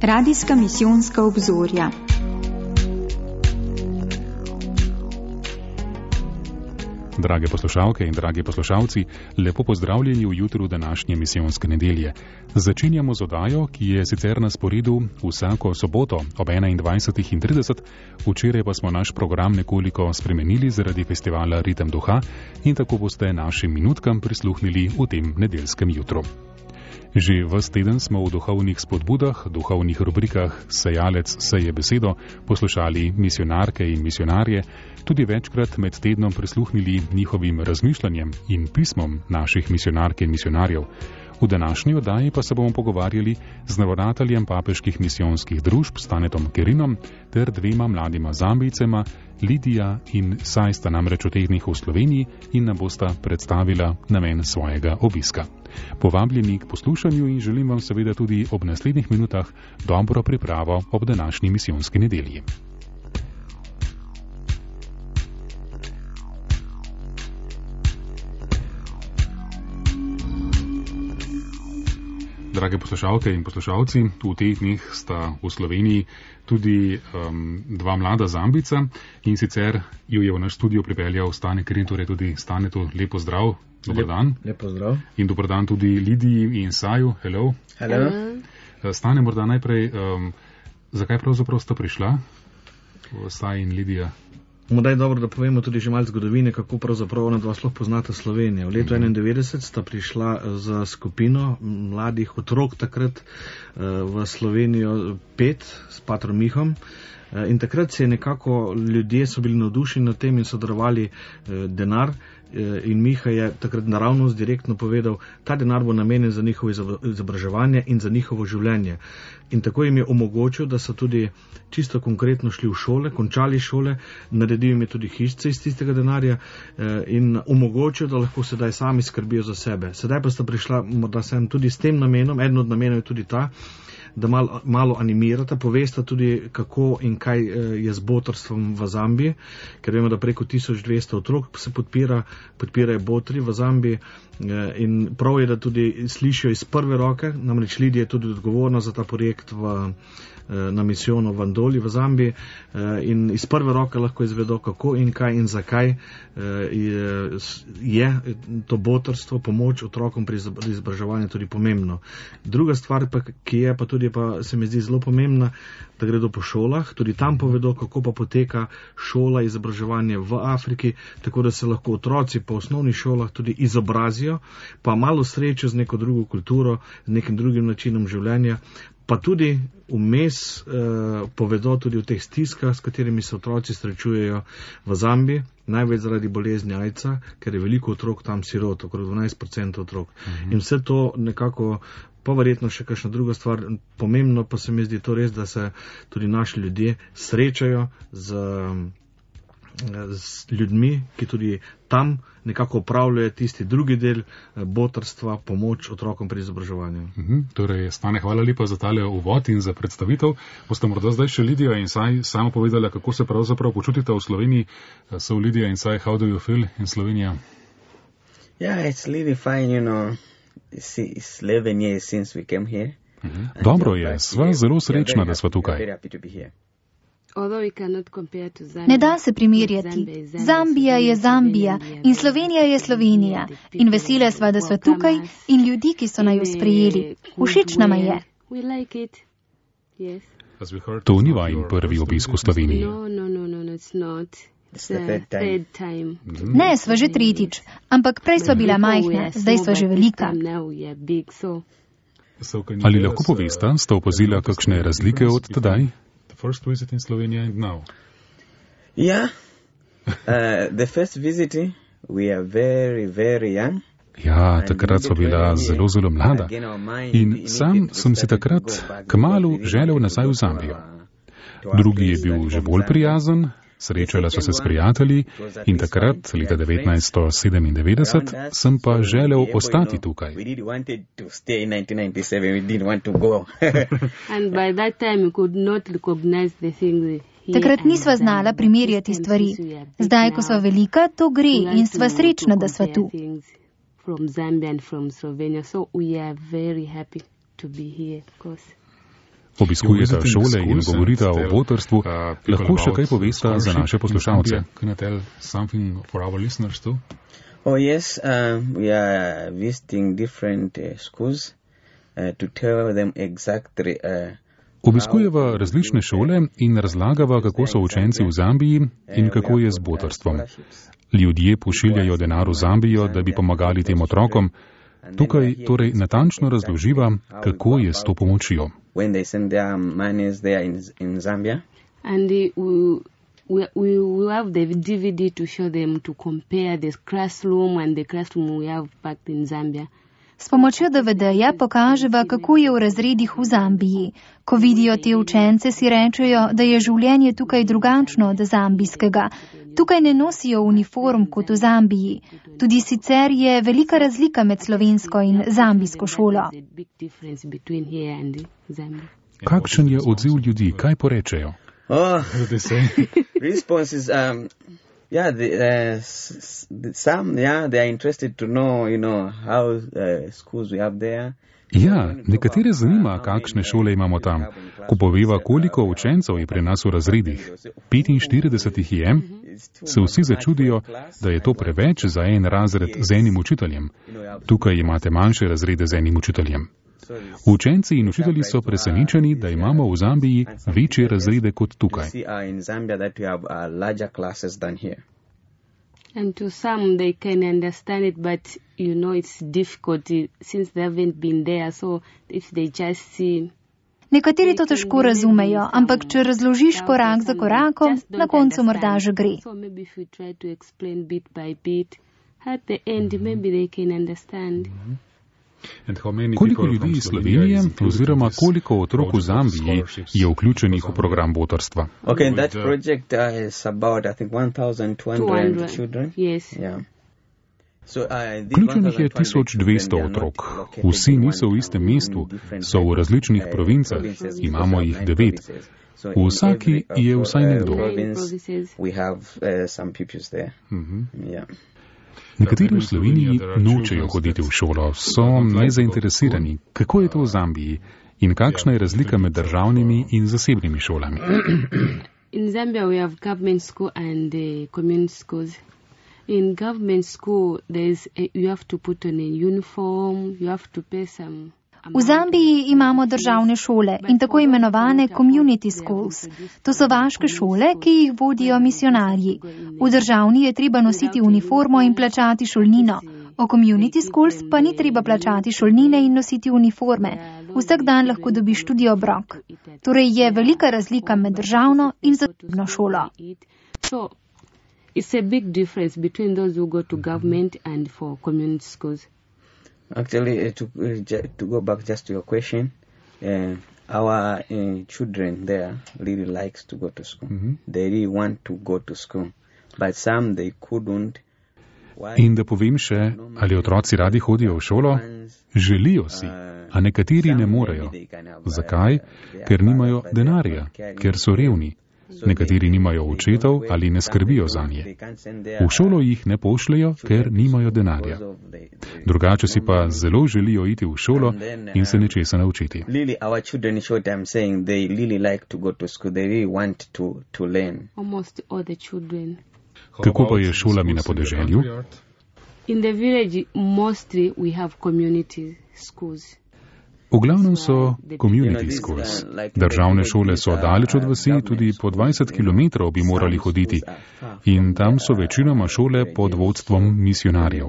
Radijska misijonska obzorja. Drage poslušalke in dragi poslušalci, lepo pozdravljeni v jutru današnje misijonske nedelje. Začenjamo z oddajo, ki je sicer na sporedu vsako soboto ob 21:30, včeraj pa smo naš program nekoliko spremenili zaradi festivala Ritem duha in tako boste našim minutkam prisluhnili v tem nedeljskem jutru. Že ves teden smo v duhovnih spodbudah, duhovnih rubrikah Sejalec seje besedo poslušali misionarke in misionarje, tudi večkrat med tednom prisluhnili njihovim razmišljanjem in pismom naših misionark in misionarjev. V današnji oddaji pa se bomo pogovarjali z navodateljem papeških misijonskih družb Stanetom Kerinom ter dvema mladima Zambijcema, Lidija in Saj sta namreč v teh dneh v Sloveniji in nam bosta predstavila namen svojega obiska. Povabljeni k poslušanju in želim vam seveda tudi ob naslednjih minutah dobro pripravo ob današnji misijonski nedelji. Drage poslušalke in poslušalci, v teh dneh sta v Sloveniji tudi dva mlada Zambijca in sicer ju je v naš studio pripeljal Stane Kerin, torej tudi Stanetu lepo zdrav, dober dan. Lepo zdrav. In dober dan tudi Lidiji in Saju, hello. Hello. Stane, morda najprej, zakaj pravzaprav sta prišla, Saj in Lidija? Morda je dobro, da povemo tudi že malo zgodovine, kako pravzaprav ona dva sploh poznata Slovenijo. V letu 1991 sta prišla za skupino mladih otrok takrat v Slovenijo 5 s patrom Mihom. In takrat se je nekako, ljudje so bili navdušeni nad tem in so darovali denar. In Miha je takrat naravnost direktno povedal, ta denar bo namenjen za njihovo izobraževanje in za njihovo življenje. In tako jim je omogočil, da so tudi čisto konkretno šli v šole, končali šole, naredil jim je tudi hišice iz tistega denarja in omogočil, da lahko sedaj sami skrbijo za sebe. Sedaj pa sta prišla morda sem tudi s tem namenom, eden od namenov je tudi ta, da malo animirata, povesta tudi, kako in kaj je z botrstvom v Zambiji, ker vemo, da preko 1200 otrok se podpirajo botri v Zambiji in prav je, da tudi slišijo iz prve roke, namreč Lidija je tudi odgovorna za ta projekt na misijonu v Andoli v Zambiji in iz prve roke lahko izvedo, kako in kaj in zakaj je to botrstvo, pomoč otrokom pri izobraževanju tudi pomembno. Druga stvar, ki je pa tudi se mi zdi zelo pomembna, da gredo po šolah, tudi tam povedo, kako pa poteka šola, izobraževanje v Afriki, tako da se lahko otroci po osnovnih šolah tudi izobrazijo, pa malo srečo z neko drugo kulturo, z nekim drugim načinom življenja, pa tudi vmes povedo tudi o teh stiskah, s katerimi se otroci srečujejo v Zambiji, največ zaradi bolezni AIDS-a, ker je veliko otrok tam sirot, okrog 12% otrok. In vse to nekako, pa verjetno še kakšna druga stvar, pomembno pa se mi zdi to res, da se tudi naši ljudje srečajo z ljudmi, ki tudi tam nekako upravljajo tisti drugi del botrstva, pomoč otrokom pri izobraževanju. Torej, Stane, hvala lepa za tale uvod in za predstavitev. Boste morda zdaj še Lidija in Saj samo povedala, kako se pravzaprav počutite v Sloveniji. So Lidija in Saj, how do you feel in Slovenija? Yeah, it's really fine, you know. It's 11 years since we came here. Dobro je, sva zelo srečna, da sva tukaj. Ne da se primerjati. Zambija je Zambija in Slovenija je Slovenija. In vesela sva, da sva tukaj in ljudi, ki so naju sprejeli. Všeč nama je. To ni vajin prvi obisk v Sloveniji. Ne, sva že tretjič, ampak prej sva bila majhna, zdaj sva že velika. Ali lahko povesta, sta opazila kakšne razlike od tedaj? First visit in Slovenia and now? Yeah. The first visit, we are very, very young. Ja, takrat sva bila zelo, zelo mlada. In sam sem si takrat kmalu želel nazaj v Zambijo. Drugi je bil že bolj prijazen, srečala so se s prijatelji in takrat, leta 1997, sem pa želel ostati tukaj. Takrat nisva znala primerjati stvari. Zdaj, ko sva velika, to gre in sva srečna, da sva tu. from Zambia and from Slovenia. So we are very happy to be here, of course. Obiskujeta šole in govorita o botrstvu, lahko še kaj povesta za naše poslušalce? Oh yes, we are visiting different schools to tell them exactly. Obiskujeva različne šole in razlagava, kako so učenci v Zambiji in kako je z botrstvom. Ljudje pošiljajo denar v Zambijo, da bi pomagali tem otrokom. Tukaj torej natančno razloživa, kako je s to pomočjo. And we have the DVD to show them to compare the classroom and the classroom we have back in Zambia. S pomočjo DVD-ja pokaževa, kako je v razredih v Zambiji. Ko vidijo te učence, si rečejo, da je življenje tukaj drugačno od zambijskega. Tukaj ne nosijo uniform kot v Zambiji. Tudi sicer je velika razlika med slovensko in zambijsko šolo. Kakšen je odziv ljudi? Kaj porečejo? Responses, they are interested to know, how schools we have there. Ja, nekatere zanima, kakšne šole imamo tam. Ko poveva, koliko učencev je pri nas v razredih, 45 jih je, se vsi začudijo, da je to preveč za en razred z enim učiteljem. Tukaj imate manjše razrede z enim učiteljem. Učenci in učitelji so presenečeni, da imamo v Zambiji večje razrede kot tukaj. And to some they can understand it, but it's difficult since they haven't been there, so if they just see. Nekateri to težko razumejo, ampak če razložiš korak za korakom, na koncu morda že gre. So maybe if we try to explain bit by bit, at the end maybe they can understand. Koliko ljudi iz Slovenije oziroma koliko otrok v Zambiji je vključenih v program botrstva? Okay, that project is about, I think, 1,200 children. Yes. Yeah. Vključenih je 1200 otrok. Vsi niso v istem mestu, so v različnih provincah, imamo jih 9. V vsaki je vsaj nekdo. Nekateri v Sloveniji nočejo hoditi v šolo, so nezainteresirani. Kako je to v Zambiji in kakšna je razlika med državnimi in zasebnimi šolami? In Zambia we have government school and community schools. In government school you have to put on a uniform, you have to pay some. V Zambiji imamo državne šole in tako imenovane community schools. To so vaške šole, ki jih vodijo misionarji. V državni je treba nositi uniformo in plačati šolnino. O community schools pa ni treba plačati šolnine in nositi uniforme. Vsak dan lahko dobiš tudi obrok. Torej je velika razlika med državno in zasebno šolo. So, it's a big difference between those who go to government and for community schools. Actually, to go back just to your question, our children there really likes to go to school. They really want to go to school, but some they couldn't. In da povem še, ali otroci radi hodijo v šolo? Želijo si, a nekateri ne morejo. Zakaj? Ker nimajo denarja, ker so revni. Nekateri nimajo očetov ali ne skrbijo zanje. V šolo jih ne pošljejo, ker nimajo denarja. Drugače si pa zelo želijo iti v šolo in se nečesa naučiti. Kako pa je s šolami na podeželju? In the village mostly we have community schools. V glavnem so community schools. Državne šole so daleč od vasi, tudi po 20 km bi morali hoditi. In tam so večinoma šole pod vodstvom misionarjev.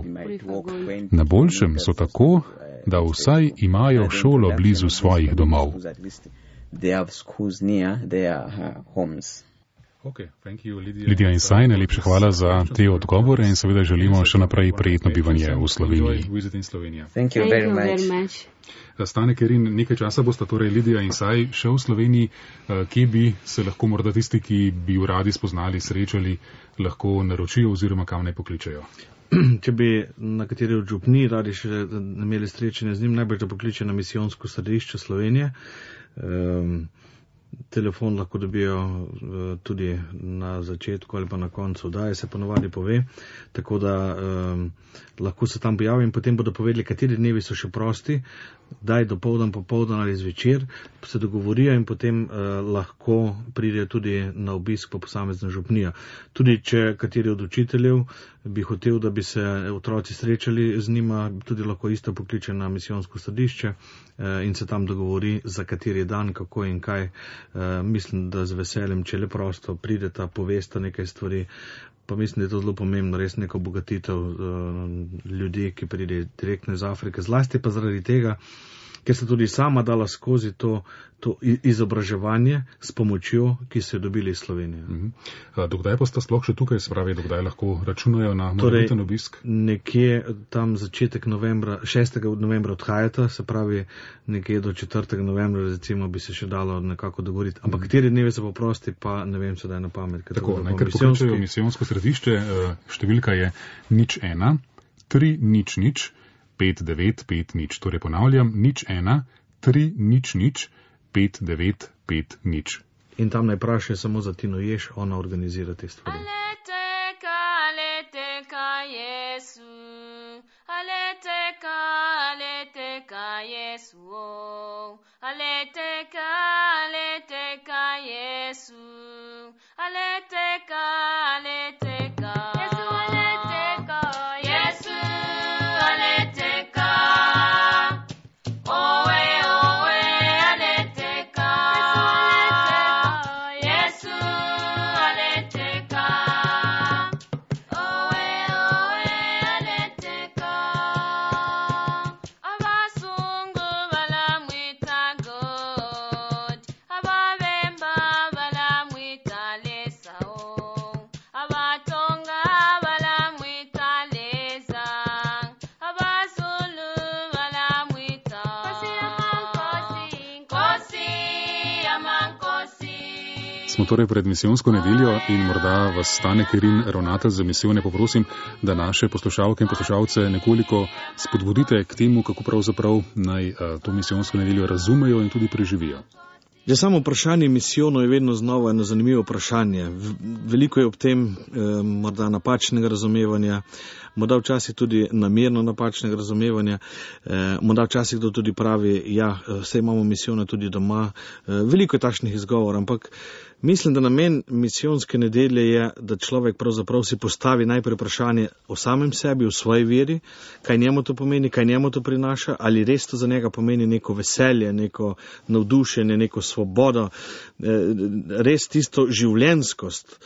Na boljšem so tako, da vsaj imajo šolo blizu svojih domov. Lidija in Saj, najlepša hvala za te odgovore in seveda želimo še naprej prijetno bivanje v Sloveniji. Thank you very much. Stane Kerin, nekaj časa bosta torej Lidija in Saj še v Sloveniji. Kje bi se lahko morda tisti, ki bi jo radi spoznali, srečali, lahko naročijo oziroma kam naj pokličejo? Če bi na kateri od župni radi še imeli srečanje z njim, najbolj da pokliče na misijonsko središče Slovenije. telefon lahko dobijo tudi na začetku ali pa na koncu oddaje, se ponovadi pove, tako da lahko se tam pojavijo in potem bodo povedali, kateri dnevi so še prosti, daj dopoldan, popoldan ali zvečer, se dogovorijo in potem lahko pridejo tudi na obisk po posamezno župnijo. Tudi če kateri od učiteljev bi hotel, da bi se otroci srečali z njima, tudi lahko isto pokliče na misijonsko središče in se tam dogovori, za kateri dan, kako in kaj. Mislim, da z veseljem, če le prosto prideta, povesta nekaj stvari, pa mislim, da je to zelo pomembno, res neko obogatitev ljudi, ki pride direktno iz Afrike, zlasti pa zaradi tega, ker se tudi sama dala skozi to izobraževanje s pomočjo, ki so jo dobili iz Slovenije. Dokdaj pa sta sploh še tukaj, se pravi, dokdaj lahko računajo na morebiten obisk? Nekje tam začetek novembra, 6. novembra odhajata, se pravi nekje do 4. novembra recimo bi se še dalo nekako dogovoriti. Ampak kateri dnevi so poprosti, pa ne vem sedaj na pamet. Tako, najkar pokličejo misijonsko središče, številka je 01 300 5950, torej ponavljam, 01 300 5950. In tam naj vprašajo samo za Tino Jež, ona organizira te stvari. Aleteka Jesu, aleteka Jesu, aleteka Jesu, aleteka Jesu, aleteka Jesu, aleteka. Smo torej pred misijonsko nedeljo in morda vas Stane Kerin, ravnatelj za misijone, poprosim, da naše poslušalke in poslušalce nekoliko spodbudite k temu, kako pravzaprav naj to misijonsko nedeljo razumejo in tudi preživijo. Ja, samo vprašanje misijonov je vedno znova eno zanimivo vprašanje. Veliko je ob tem morda napačnega razumevanja, morda včasih tudi namerno napačnega razumevanja, morda včasih kdo tudi pravi, ja, vse imamo misijone tudi doma. Veliko je takšnih izgovorov, ampak mislim, da namen misijonske nedelje je, da človek pravzaprav si postavi najprej vprašanje o samem sebi, o svoji veri, kaj njemu to pomeni, kaj njemu to prinaša, ali res to za njega pomeni neko veselje, neko navdušenje, neko svobodo, res tisto življenjskost,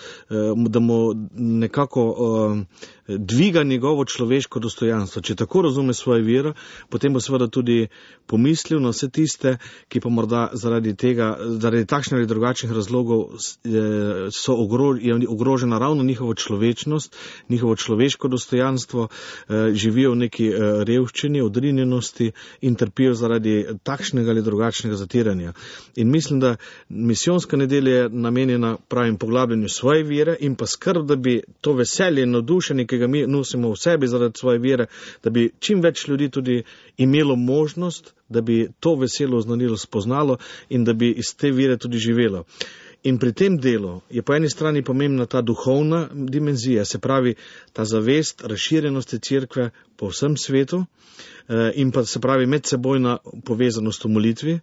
da mu nekako dviga njegovo človeško dostojanstvo. Če tako razume svojo vero, potem bo seveda tudi pomislil na vse tiste, ki pa morda zaradi takšnih ali drugačnih razlogov je ogrožena ravno njihova človečnost, njihovo človeško dostojanstvo, živijo v neki revščini, odrinjenosti in trpijo zaradi takšnega ali drugačnega zatiranja. In mislim, da misijonska nedelja je namenjena pravim poglabljanju svoje vere in pa skrb, da bi to veselje in navdušenje, ki ga mi nosimo v sebi zaradi svoje vere, da bi čim več ljudi tudi imelo možnost, da bi to veselo oznanilo spoznalo in da bi iz te vere tudi živelo. In pri tem delu je po eni strani pomembna ta duhovna dimenzija, se pravi ta zavest razširjenosti cerkve po vsem svetu in pa se pravi medsebojna povezanost v molitvi.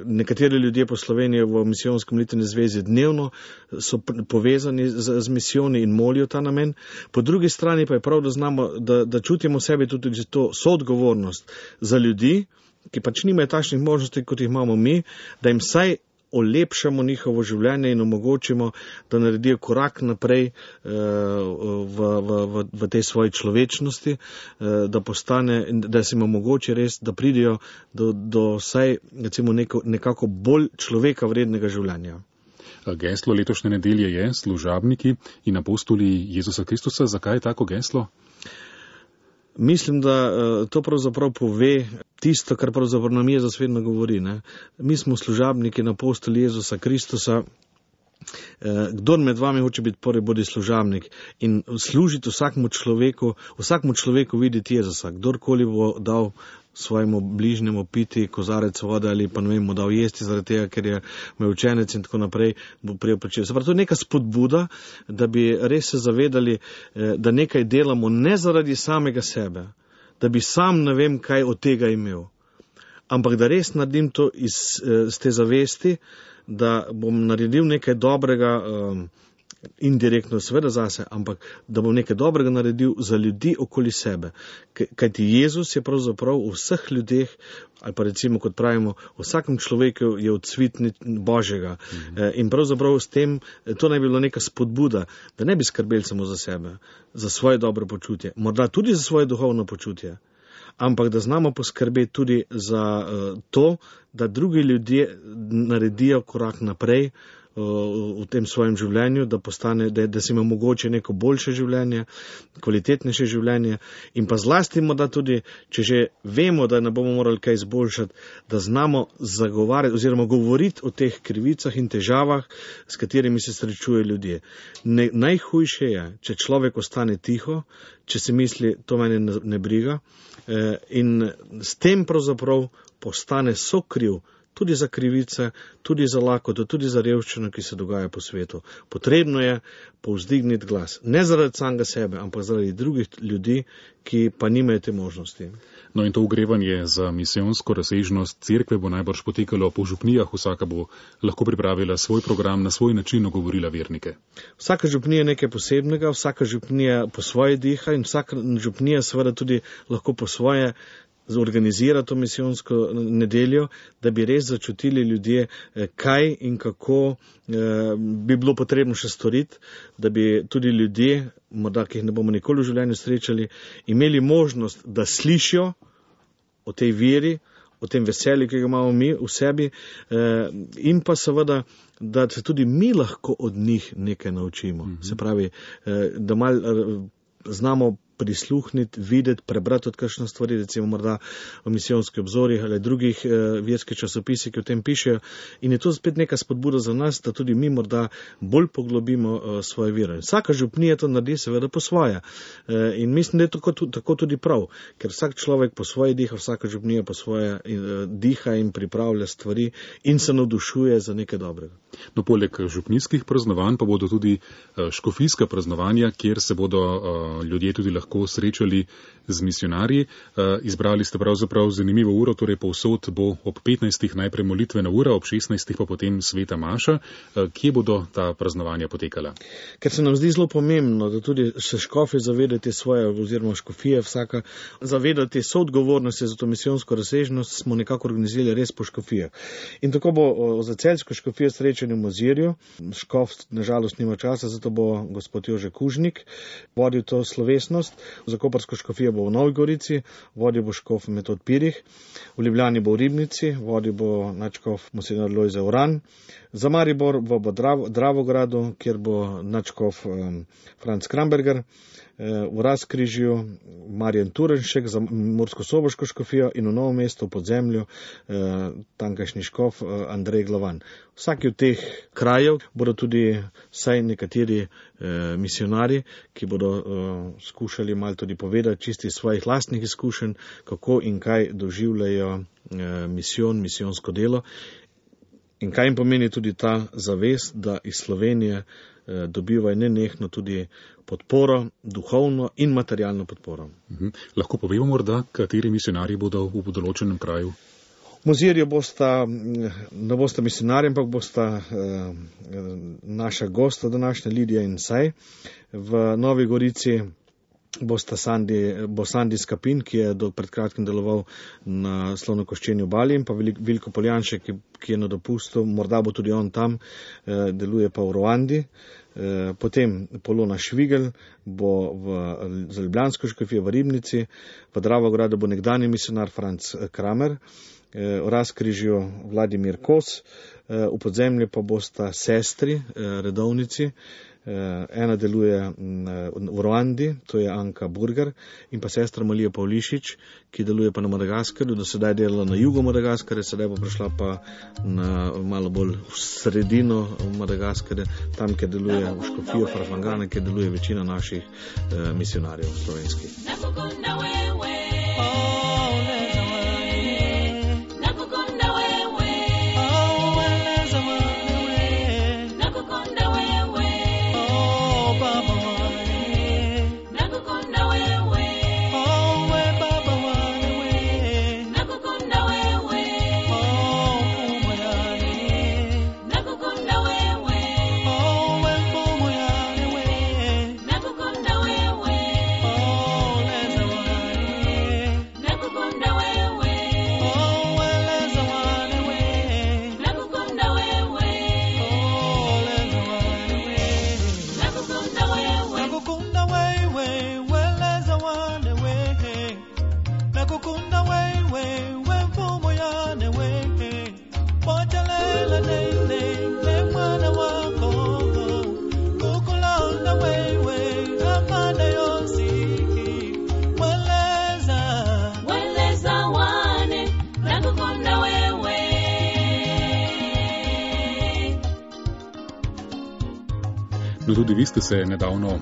Nekateri ljudje po Sloveniji v misijonski molitveni zvezi dnevno so povezani z misijoni in molijo ta namen. Po drugi strani pa je prav, da znamo, da čutimo v sebi tudi to soodgovornost za ljudi, ki pač nimajo takšnih možnosti, kot jih imamo mi, da jim vsaj olepšamo njihovo življenje in omogočimo, da naredijo korak naprej v tej svoji človečnosti, da se jim omogoči res, da pridejo do vsaj recimo nekako bolj človeka vrednega življenja. Geslo letošnje nedelje je služabniki in apostoli Jezusa Kristusa. Zakaj je tako geslo? Mislim, da to pravzaprav pove tisto, kar pravzaprav nam Jezus vedno govori. Ne? Mi smo služabniki in apostoli Jezusa Kristusa. Kdor med vami hoče biti prvi, bodi služabnik in služiti vsakmu človeku videti Jezusa. Kdorkoli bo dal svojemu bližnjemu piti kozarec vode ali pa ne vem, mu dal jesti zaradi tega, ker je me učenec in tako naprej, bo prijel plačilo. Se pravi, to je neka spodbuda, da bi res se zavedali, da nekaj delamo ne zaradi samega sebe, da bi sam ne vem kaj od tega imel, ampak da res naredim to iz te zavesti, da bom naredil nekaj dobrega, indirektno seveda zase, ampak da bom nekaj dobrega naredil za ljudi okoli sebe. Kajti Jezus je pravzaprav v vseh ljudeh, ali pa recimo, kot pravimo, v vsakem človeku je odsvit Božjega. In pravzaprav s tem, to naj bi bilo neka spodbuda, da ne bi skrbeli samo za sebe, za svoje dobro počutje, morda tudi za svoje duhovno počutje, ampak da znamo poskrbeti tudi za to, da drugi ljudje naredijo korak naprej v tem svojem življenju, da postane, da si ima mogoče neko boljše življenje, kvalitetnejše življenje in pa zlasti morda tudi, če že vemo, da ne bomo morali kaj izboljšati, da znamo zagovarjati oziroma govoriti o teh krivicah in težavah, s katerimi se srečujejo ljudje. Najhujše je, če človek ostane tiho, če si misli, to mene ne briga, in s tem pravzaprav postane sokriv tudi za krivice, tudi za lakoto, tudi za revščino, ki se dogaja po svetu. Potrebno je povzdigniti glas. Ne zaradi samega sebe, ampak zaradi drugih ljudi, ki pa nimajo te možnosti. No in to ogrevanje za misijonsko razsežnost cerkve bo najbrž potekalo po župnijah, vsaka bo lahko pripravila svoj program, na svoj način ogovorila vernike. Vsaka župnija je nekaj posebnega, vsaka župnija po svoje diha in vsaka župnija seveda tudi lahko po svoje zorganizira to misijonsko nedeljo, da bi res začutili ljudje, kaj in kako bi bilo potrebno še storiti, da bi tudi ljudje, morda ki jih ne bomo nikoli v življenju srečali, imeli možnost, da slišijo o tej veri, o tem veselju, ki ga imamo mi v sebi, in pa seveda, da se tudi mi lahko od njih nekaj naučimo. Se pravi, da malo znamo prisluhniti, videti, prebrati od kakšne stvari, recimo morda o misijonskih obzorjih ali drugih verskih časopisih, ki o tem pišejo. In je to spet neka spodbuda za nas, da tudi mi morda bolj poglobimo svoje vero. Vsaka župnija to naredi seveda po svoje. In mislim, da je tako tudi prav, ker vsak človek po svoje diha, vsaka župnija po svoje diha in pripravlja stvari in se navdušuje za nekaj dobrega. No, poleg župnijskih praznovanj pa bodo tudi škofijska praznovanja, kjer se bodo ljudje tudi lahko srečali z misionarji. Izbrali ste pravzaprav zanimivo uro, torej povsod bo ob 15. najprej molitvena ura, ob 16. pa potem sveta maša. Kje bodo ta praznovanja potekala? Ker se nam zdi zelo pomembno, da tudi se škofi zavedate svoje, oziroma škofije vsaka, zavedate soodgovornosti za to misijonsko razsežnost, smo nekako organizirali res po škofijah. In tako bo za celjsko škofijo srečanje v Mozirju. Škof nažalost nima časa, zato bo gospod Jože Kužnik vodil to slovesnost. Za koprsko škofijo bo v Novi Gorici, vodil bo škof Metod Pirih, v Ljubljani bo v Ribnici, vodil bo nadškof Monsignor Lojze Uran, za Maribor bo v Dravogradu, kjer bo nadškof Franc Kramberger, v Razkrižju Marjan Turenšek za Mursko-Soboško škofijo in v Novem mestu v Podzemlju tamkajšnji škof Andrej Glavan. Vsaki od teh krajev bodo tudi vsaj nekateri misionari, ki bodo skušali malo tudi povedati čisti svojih lastnih izkušenj, kako in kaj doživljajo misijonsko delo in kaj jim pomeni tudi ta zavest, da iz Slovenije dobivajo nenehno tudi podporo, duhovno in materialno podporo. Lahko povemo morda, kateri misionarji bodo v določenem kraju? V Mozirju ne bosta misionarji, ampak bosta naša gosta današnja Lidija in Saj. V Novi Gorici bo Sandi Skapin, ki je pred kratkim deloval na Slonokoščeni obali, in pa Vilko Poljanšek, ki je na dopustu, morda bo tudi on tam, deluje pa v Ruandi. Potem Polona Švigel bo za ljubljansko škofijo v Ribnici, v Dravogradu bo nekdanji misionar Franc Kramer, v Razkrižju Vladimir Kos, v Podzemlju pa bosta sestri, redovnici. Ena deluje v Ruandi, to je Anka Burger, in pa sestra Malija Pavlišič, ki deluje pa na Madagaskarju, do sedaj delala na jugu Madagaskarja, sedaj bo prišla pa na malo bolj v sredino Madagaskarja, tam, kjer deluje v škofijo Farfangana, kjer deluje večina naših misionarjev slovenskih. No, tudi vi ste se nedavno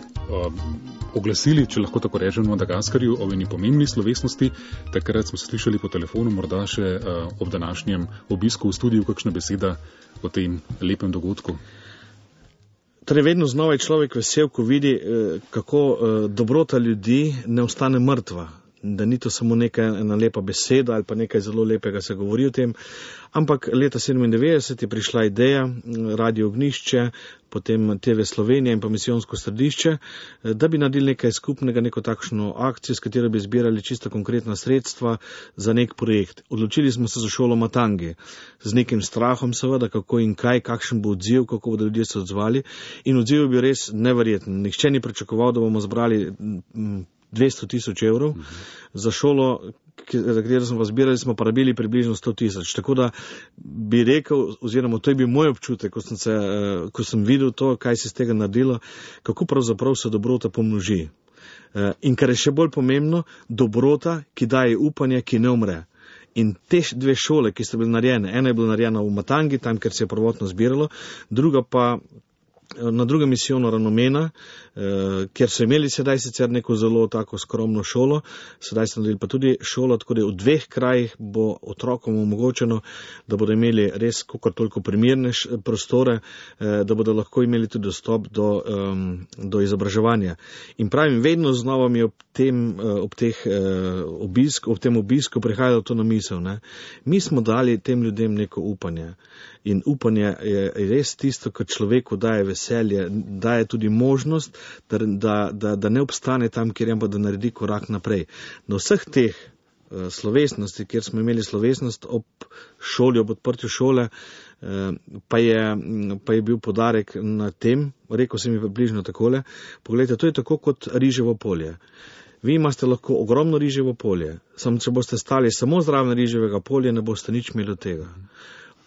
oglasili, če lahko tako rečem, v Madagaskarju o eni pomembni slovesnosti. Takrat smo se slišali po telefonu, morda še ob današnjem obisku v studiu, kakšna beseda o tem lepem dogodku. Torej, vedno znova je človek vesel, ko vidi, kako dobrota ljudi ne ostane mrtva. Da ni to samo ena lepa beseda ali pa nekaj zelo lepega se govori o tem, ampak leta 97 je prišla ideja, Radio Ognjišče, potem TV Slovenija in pa misijonsko središče, da bi naredili nekaj skupnega, neko takšno akcijo, s katero bi zbirali čisto konkretna sredstva za nek projekt. Odločili smo se za šolo Matangi, z nekim strahom seveda, kako in kaj, kakšen bo odziv, kako bodo ljudje se odzvali, in odziv je bil res neverjeten. Nihče ni pričakoval, da bomo zbrali 200,000 evrov. Za šolo, za katero smo vas zbirali, smo porabili približno 100,000. Tako da bi rekel, oziroma to je bil moj občutek, ko sem videl to, kaj se iz tega naredilo, kako pravzaprav se dobrota pomnoži. In kar je še bolj pomembno, dobrota, ki daje upanje, ki ne umre. In te dve šole, ki sta bili narejene, ena je bila narejena v Matangi, tam, kjer se je prvotno zbiralo, druga pa na drugem misijonu Ranomena, kjer so imeli sedaj sicer neko zelo tako skromno šolo, sedaj so naredili pa tudi šolo, tako da v dveh krajih bo otrokom omogočeno, da bodo imeli res kakor toliko primerne prostore, da bodo lahko imeli tudi dostop do izobraževanja. In pravim, vedno znova mi ob tem obisku prihajalo to na misel. Ne? Mi smo dali tem ljudem neko upanje. In upanje je res tisto, kar človeku daje veselje, daje tudi možnost, da ne obstane tam, kjer je, ampak da naredi korak naprej. Na vseh teh slovesnosti, kjer smo imeli slovesnost ob šoli, ob odprtju šole, pa je bil podarek na tem, rekel sem mi približno takole, pogledajte, to je tako kot riževo polje. Vi imate lahko ogromno riževo polje, samo če boste stali samo zraven riževega polja, ne boste nič imeli od tega.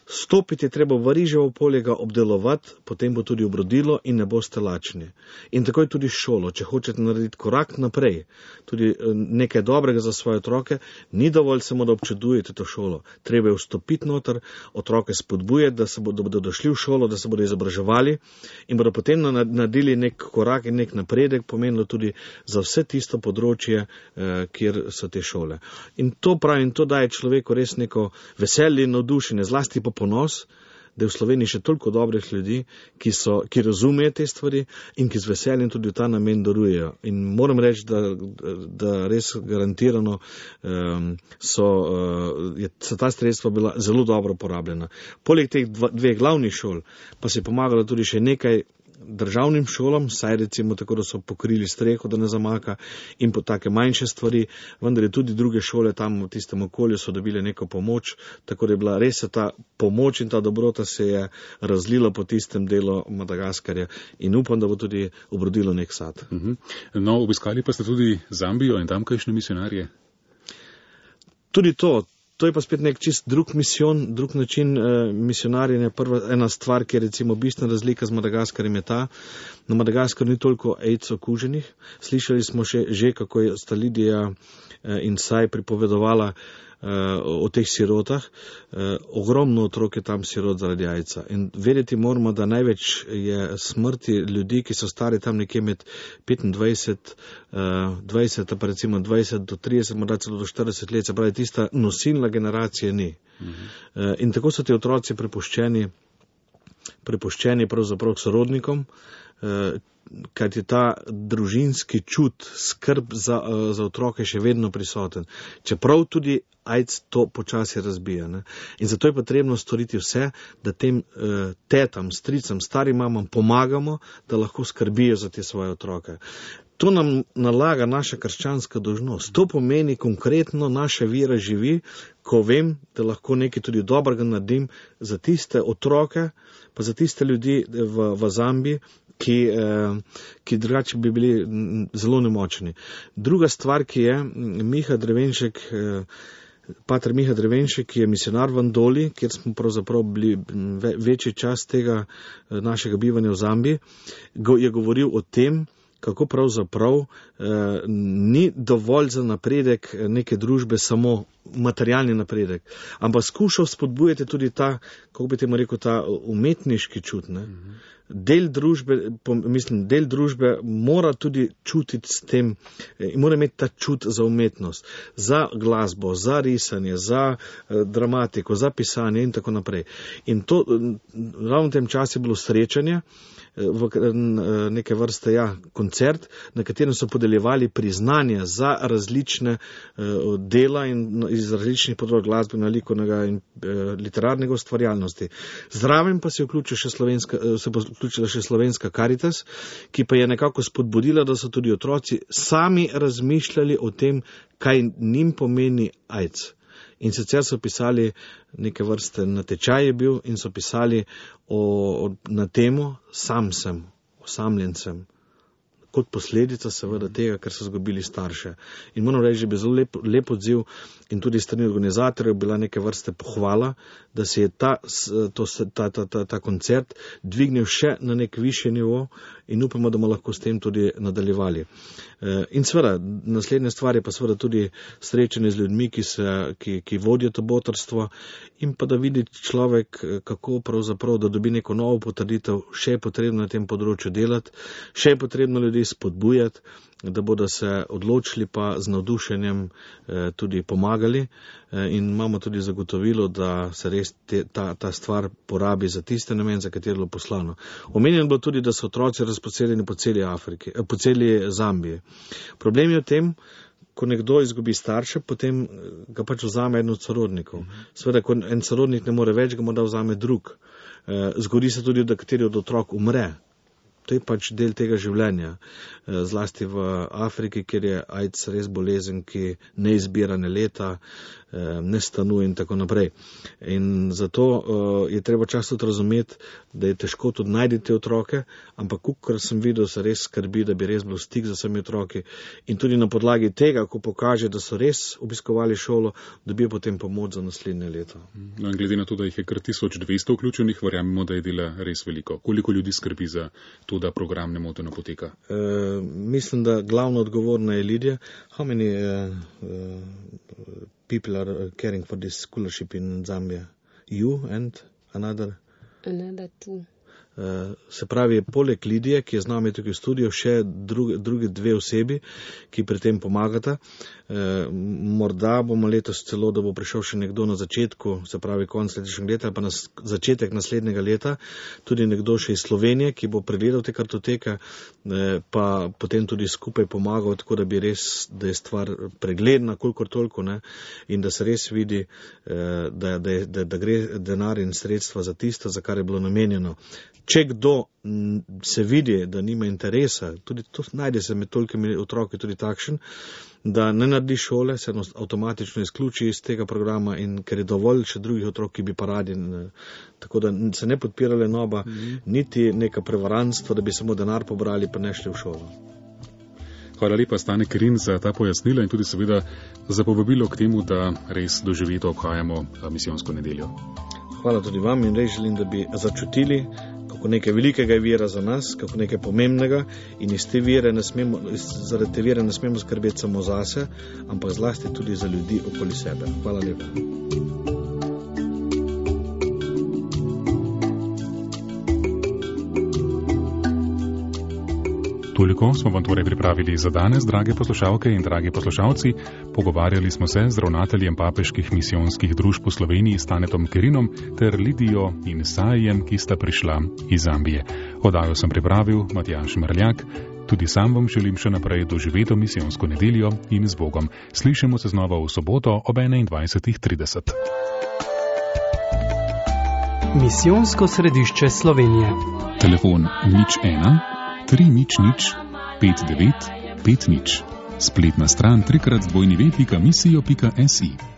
Stopiti je treba v riževo polje, ga obdelovati, potem bo tudi obrodilo in ne boste lačni. In tako je tudi šolo. Če hočete narediti korak naprej, tudi nekaj dobrega za svoje otroke, ni dovolj samo, da občudujete to šolo. Treba je vstopiti noter, otroke spodbujati, da bodo došli v šolo, da se bodo izobraževali in bodo potem naredili nek korak in nek napredek, pomenilo tudi za vse tisto področje, kjer so te šole. In to pravim, to daje človeku res neko veselje in navdušenje, zlasti pa ponos, da je v Sloveniji še toliko dobrih ljudi, ki razumejo te stvari in ki z veseljem tudi v ta namen darujejo. In moram reči, da res garantirano so ta sredstva bila zelo dobro porabljena. Poleg teh dveh glavnih šol pa se je pomagalo tudi še nekaj državnim šolam, saj recimo tako, da so pokrili streho, da ne zamaka, in po take manjše stvari, vendar je tudi druge šole tam v tistem okolju so dobile neko pomoč, tako da je bila res ta pomoč in ta dobrota se je razlila po tistem delu Madagaskarja in upam, da bo tudi obrodilo nek sad. No, obiskali pa ste tudi Zambijo in tamkajšnje misionarje? Tudi to je pa spet nek čist drug misijon, drug način misionarjenja. Ena stvar, ki je recimo bistvena razlika z Madagaskarjem je ta, na Madagaskarju ni toliko AIDS okuženih. Slišali smo že kako je sta Lidija in Saj pripovedovala o teh sirotah. Ogromno otrok je tam sirot zaradi AIDS-a. In vedeti moramo, da največ je smrti ljudi, ki so stari tam nekje med 25, 20, pa recimo 20 do 30, morda celo do 40 let, se pravi, tista nosilna generacija ni. In tako so ti otroci prepuščeni pravzaprav sorodnikom, kajti ta družinski čut, skrb za otroke še vedno prisoten. Čeprav tudi AIDS to počasi razbija. Ne? In zato je potrebno storiti vse, da tem tetam, stricam, starim mamam pomagamo, da lahko skrbijo za te svoje otroke. To nam nalaga naša krščanska dolžnost. To pomeni konkretno naša vera živi, ko vem, da lahko nekaj tudi dobrega naredim za tiste otroke, pa za tiste ljudi v Zambiji, ki drugače bi bili zelo nemočni. Druga stvar, ki je Pater Miha Drevenšek, ki je misionar v Andoli, kjer smo pravzaprav bili večji čas tega našega bivanja v Zambiji, je govoril o tem, kako pravzaprav ni dovolj za napredek neke družbe samo materialni napredek, ampak skušal spodbujati tudi ta, kako bi temu rekel, ta umetniški čut, ne. Del družbe mora tudi čutiti s tem, mora imeti ta čut za umetnost, za glasbo, za risanje, za dramatiko, za pisanje in tako naprej. In to, ravno v tem času je bilo srečanje, v neke vrste, koncert, na katerem so podeljevali priznanja za različne dela in iz različnih področij glasbenega, likovnega in literarnega ustvarjalnosti. Zraven pa se je vključila še Slovenska Karitas, ki pa je nekako spodbudila, da so tudi otroci sami razmišljali o tem, kaj njim pomeni AIDS. In sicer so pisali neke vrste natečaj je bil in so pisali na temo sam sem, osamljen sem. Kot posledica seveda tega, ker so izgubili starše. In moram reči, da bi zelo lep odziv in tudi strani organizatorjev bila neke vrste pohvala, da se je ta koncert dvignil še na nek višji nivo in upamo, da bomo lahko s tem tudi nadaljevali. In seveda, naslednja stvar je pa seveda tudi srečanje z ljudmi, ki vodijo to botrstvo in pa da vidi človek, kako pravzaprav, da dobi neko novo potrditev, še je potrebno na tem področju delati, še je potrebno ljudi spodbujati, da bodo se odločili pa z navdušenjem tudi pomagali in imamo tudi zagotovilo, da se res ta stvar porabi za tiste namen, za katero je bilo poslano. Omenjeno bo tudi, da so otroci razposeljeni po celi Afriki, po celi Zambiji. Problem je v tem, ko nekdo izgubi starše, potem ga pač vzame eden od sorodnikov. Seveda, ko en sorodnik ne more več, ga morda vzame drug. Zgodi se tudi, da kateri od otrok umre. To je pač del tega življenja, zlasti v Afriki, kjer je AIDS res bolezen, ki ne izbira ne leta, ne stanuje in tako naprej. In zato je treba často razumeti, da je težko tudi najti te otroke, ampak kar sem videl, se res skrbi, da bi res bilo stik z vsemi otroki in tudi na podlagi tega, ko pokaže, da so res obiskovali šolo, dobijo potem pomoč za naslednje leto. No, in glede na to, da jih je kar 1200 vključenih, verjamemo, da je dela res veliko. Koliko ljudi skrbi za to, da program nemoteno poteka? Mislim, da glavno odgovorna je Lidija. How many people are caring for this scholarship in Zambia? You and another? Another two. Se pravi, poleg Lidije, ki je z nami tukaj v studiu, še drugi dve osebi, ki pri tem pomagata. Morda bomo letos celo, da bo prišel še nekdo na začetku, se pravi konec letošnjega leta ali pa na začetek naslednjega leta, tudi nekdo še iz Slovenije, ki bo pregledal te kartoteke, pa potem tudi skupaj pomagal, tako da bi res, da je stvar pregledna, kolikor toliko, ne, in da se res vidi, da gre denar in sredstva za tisto, za kar je bilo namenjeno. Če kdo se vidi, da nima interesa, tudi to najde se med tolikimi otroki tudi takšen, da ne naredi šole, se avtomatično izključi iz tega programa in ker je dovolj še drugih otrok, ki bi pa radi. Tako da se ne podpira lenoba, niti neka prevarantstva, da bi samo denar pobrali pa ne šli v šolo. Hvala lepa, Stane Kerin, za ta pojasnila in tudi seveda za povabilo k temu, da res doživito obhajamo misijonsko nedeljo. Hvala tudi vam in res želim, da bi začutili, kako nekaj velikega je vira za nas, kako nekaj pomembnega in zaradi te vire ne smemo skrbeti samo zase, ampak zlasti tudi za ljudi okoli sebe. Hvala lepa. Toliko smo vam torej pripravili za danes, drage poslušalke in dragi poslušalci. Pogovarjali smo se z ravnateljem papeških misijonskih družb v Sloveniji Stanetom Kerinom ter Lidijo in Sajem, ki sta prišla iz Zambije. Oddajo sem pripravil Matjaž Mrljak. Tudi sam vam želim še naprej doživeto misijonsko nedeljo in z Bogom. Slišimo se znova v soboto ob 21:30. Misijonsko središče Slovenije. Telefon 01 300 5950. Spletna stran www.misijo.si.